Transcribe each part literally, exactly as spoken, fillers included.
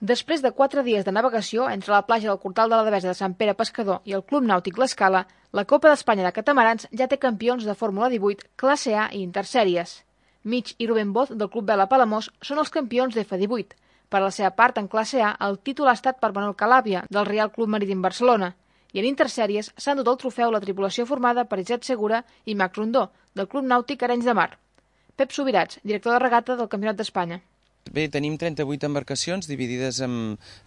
Després de quatre dies de navegació entre la platja del Cortal de la Devesa de Sant Pere Pescador i el Club Nàutic L'Escala, la Copa d'Espanya de Catamarans ja té campions de Fórmula divuit, classe A i intersèries. Mig i Rubén Boz, del Club Vela Palamós, són els campions d'F divuit. Per la seva part, en classe A, el títol ha estat per Manuel Calàbia, del Real Club Marítim Barcelona. I en intersèries s'ha endut el trofeu la tripulació formada per Isaac Segura i Mac Rondó, del Club Nàutic Arenys de Mar. Pep Subirats, director de regata del Campionat d'Espanya. Bé, tenim trenta-vuit embarcacions dividides en,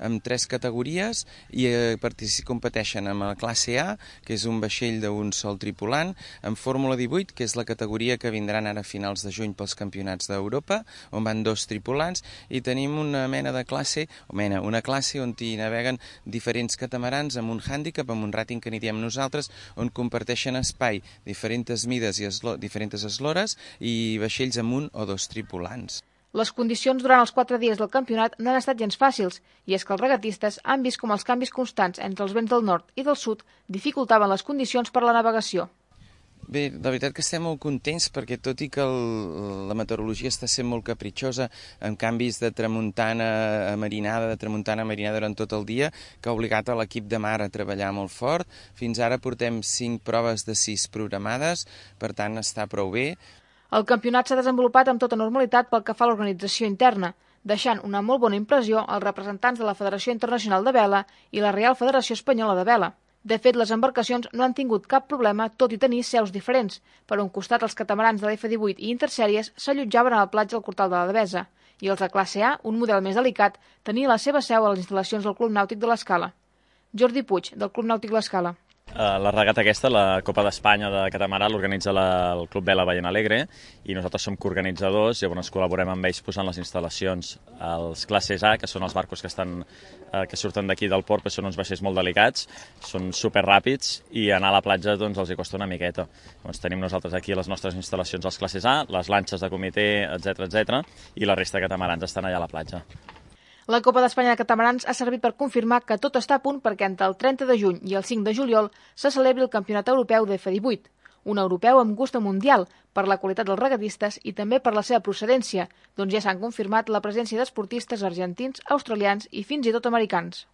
en tres categories i eh, competeixen amb la classe A, que és un vaixell d'un sol tripulant, en Fórmula divuit, que és la categoria que vindran ara a finals de juny pels campionats d'Europa, on van dos tripulants, i tenim una mena de classe, o mena, una classe on hi naveguen diferents catamarans amb un hàndicap, amb un ràting que n'hi diem nosaltres, on comparteixen espai, diferents mides i eslo, diferents eslores i vaixells amb un o dos tripulants. Les condicions durant els quatre dies del campionat no han estat gens fàcils, i és que els regatistes han vist com els canvis constants entre els vents del nord i del sud dificultaven les condicions per a la navegació. Bé, la veritat que estem molt contents perquè tot i que el, la meteorologia està sent molt capritxosa amb canvis de tramuntana a marinada, de tramuntana a marinada durant tot el dia, que ha obligat a l'equip de mar a treballar molt fort. Fins ara portem cinc proves de sis programades, per tant està prou bé. El campionat s'ha desenvolupat amb tota normalitat pel que fa a l'organització interna, deixant una molt bona impressió als representants de la Federació Internacional de Vela i la Real Federació Espanyola de Vela. De fet, les embarcacions no han tingut cap problema, tot i tenir seus diferents. Per un costat, els catamarans de l'F divuit i intersèries s'allotjaven a la platja del Cortal de la Devesa, i els de classe A, un model més delicat, tenia la seva seu a les instal·lacions del Club Nàutic de l'Escala. Jordi Puig, del Club Nàutic l'Escala. La regata aquesta, la Copa d'Espanya de catamarà, l'organitza el Club Vela Ballena Alegre i nosaltres som coorganitzadors, llavors col·laborem amb ells posant les instal·lacions als classes A, que són els barcos que, estan, que surten d'aquí del port, que són uns vaixells molt delicats, són superràpids i anar a la platja doncs, els hi costa una miqueta. Doncs tenim nosaltres aquí les nostres instal·lacions als classes A, les lanxes de comitè, etcètera etcètera, i la resta de catamarans estan allà a la platja. La Copa d'Espanya de Catamarans ha servit per confirmar que tot està a punt perquè entre el trenta de juny i el cinc de juliol se celebri el Campionat Europeu d'F divuit, un europeu amb gust mundial per la qualitat dels regatistes i també per la seva procedència, doncs ja s'han confirmat la presència d'esportistes argentins, australians i fins i tot americans.